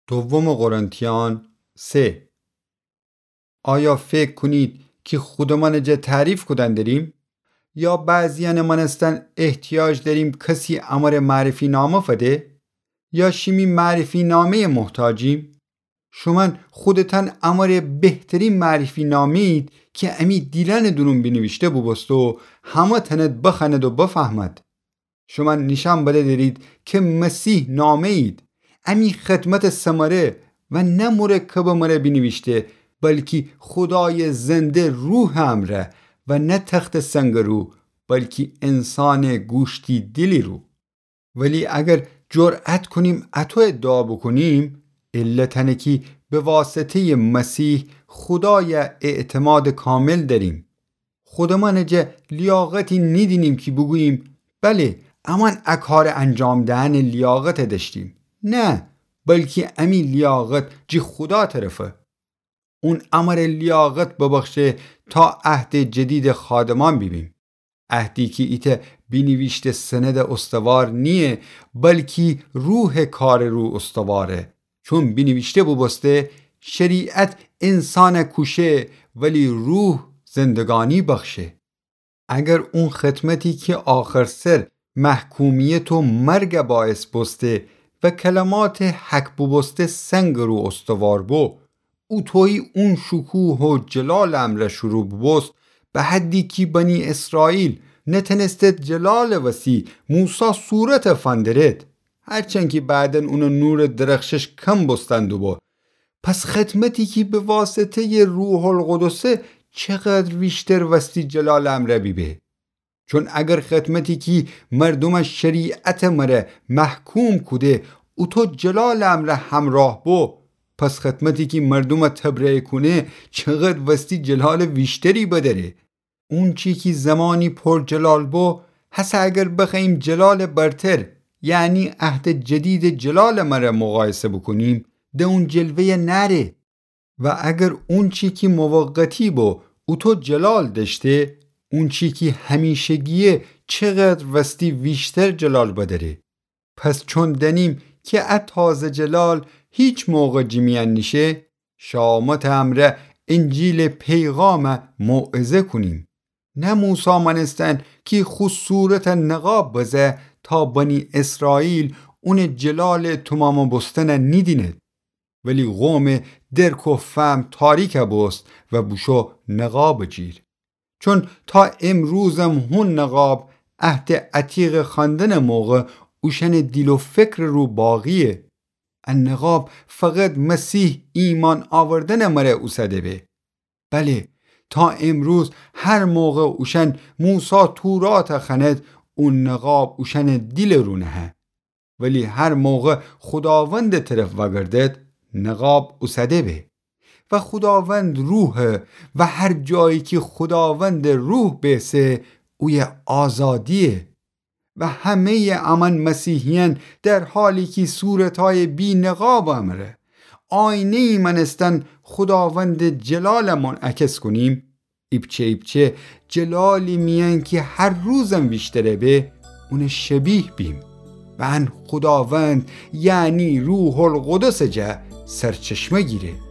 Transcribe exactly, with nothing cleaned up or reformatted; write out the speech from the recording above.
دوم قرنتیان سه. آیا فکر کونید کی خودمانٚ جا تعریف کودن دریم؟ یا بعضیأنٚ مأنستن احتیاج دریم کسی امره معرفی‌نامه فده؟ یا شیمی معرفی‌نامه‌یٚ محتاجیم؟ شومأن خودتأن امره بهترین معرفی‌نامه‌یید کی امی دیلأنٚ دورون بینیویشته بوبوسته و همه تأند بخوأند و بفهمد. شومأن نیشأن بده درید کی مسیح نامه‌یید. امی خدمتٚ ثمره و نه مرکبٚ مره بینیویشته، بلکی خودایٚ زنده روحٚ امرأ و نه تختٚ سنگٚ رو، بلکی انسانٚ گوشتی دیلی رو. ولی اگر جرأت کونیم اطو ادعا بوکونیم، علت انه کی به واسطه‌یٚ مسیح خودای اعتمادٚ کامل دریم. خودمأنٚ جا لیاقتی نیدینیم کی بوگوییم، بله، امأن ا کارٚ انجام دهنٚ لیاقت دأشتیم. نه، بلکی امی لیاقت جٚه خودا طرفه. اون امره لیاقت ببخشه تا عهدٚ جدیدٚ خادمأن بیبیم. عهدی کی ایتأ بینیویشته سندٚ استوار نییه، بلکی روحٚ کارٚ رو استواره. چون بینیویشته بوبوسته، شریعت انسان کوشه، ولی روح زندگانی بخشه. اگر اون خدمتی کی آخرسر محکومیت و مرگ باعث بوسته و کلماتٚ حک بوبوسته سنگٚ رو استوار بو، اوطویی اون شکوه و جلالٚ امرأ شروع بوبوست، به حدی کی بنی اسرائیل نتأنستد جلالٚ وسی موسی صورت فندرد، هرچند کی بعداً اونٚ نورٚ درخشش کم بوستن دوبو. پس خدمتی کی به واسطه‌یٚ روح‌القدسه چقدر ویشتر وستی جلالٚ امرأ بیبه؟ چون اگر خدمتی کی مردومٚ شریعتٚ مره محکوم کوده اوطو جلالٚ امرأ همراه بو، پس خدمتی کی مردومٚ تبرئه کونه چقدر وستی جلالٚ ویشتری بدأره؟ اونچی کی زمانی پر جلال بو، هسه اگر بخوأییم جلالٚ برتر، یعنی عهدٚ جدیدٚ جلالٚ مره مقایسه بوکونیم، ده اون جلوه‌یه نأره. و اگر اونچی کی موقتی بو اوطو جلال دأشته، اونچی کی همیشگیه چقدر وستی ویشتر جلال بدأره؟ پس چون دأنیم کی ا تازه جلال هیچ موقع جٚه میأن نیشه، شامتٚ امرأ انجیلٚ پیغام موعظه کونیم. نه موسی مأنستن کی خو صورت نقاب بزه تا بنی اسرائیل اونٚ جلالٚ تومام بوستن نیدیند. ولی قومٚ درک و فهم تاریک بوست و بوشو نقابٚ جیر. چون تا امروزم هون نقاب عهدٚ عتیقٚ خوأندنٚ موقع اوشأنٚ دیل و فکرٚ رو باقیه. ا نقاب فقط مسیح ایمأن آوردنٚ مره اوسده به. بله، تا امروز هر موقع اوشأن موسی تورات خوأند، او نقاب اوشأنٚ دیلٚ رو نهه. ولی هر موقع خوداوندٚ طرف وأگردد، نقاب اوسده به. و خوداوند روحه و هر جایی کی خوداوندٚ روح بیسه، اویه آزادیه. و همه‌یٚ امأن مسیحیأن در حالی کی صورتأیٚ بی‌نقابٚ امرأ، آینه‌یی مأنستن خوداوندٚ جلال منعکس کونیم، ایپچه ایپچه جلالی میأن کی هر روزم ویشتره به، اون شبیه بیم. و ان خوداوند، یعنی روح‌القدسٚ جا سرچشمه گیره.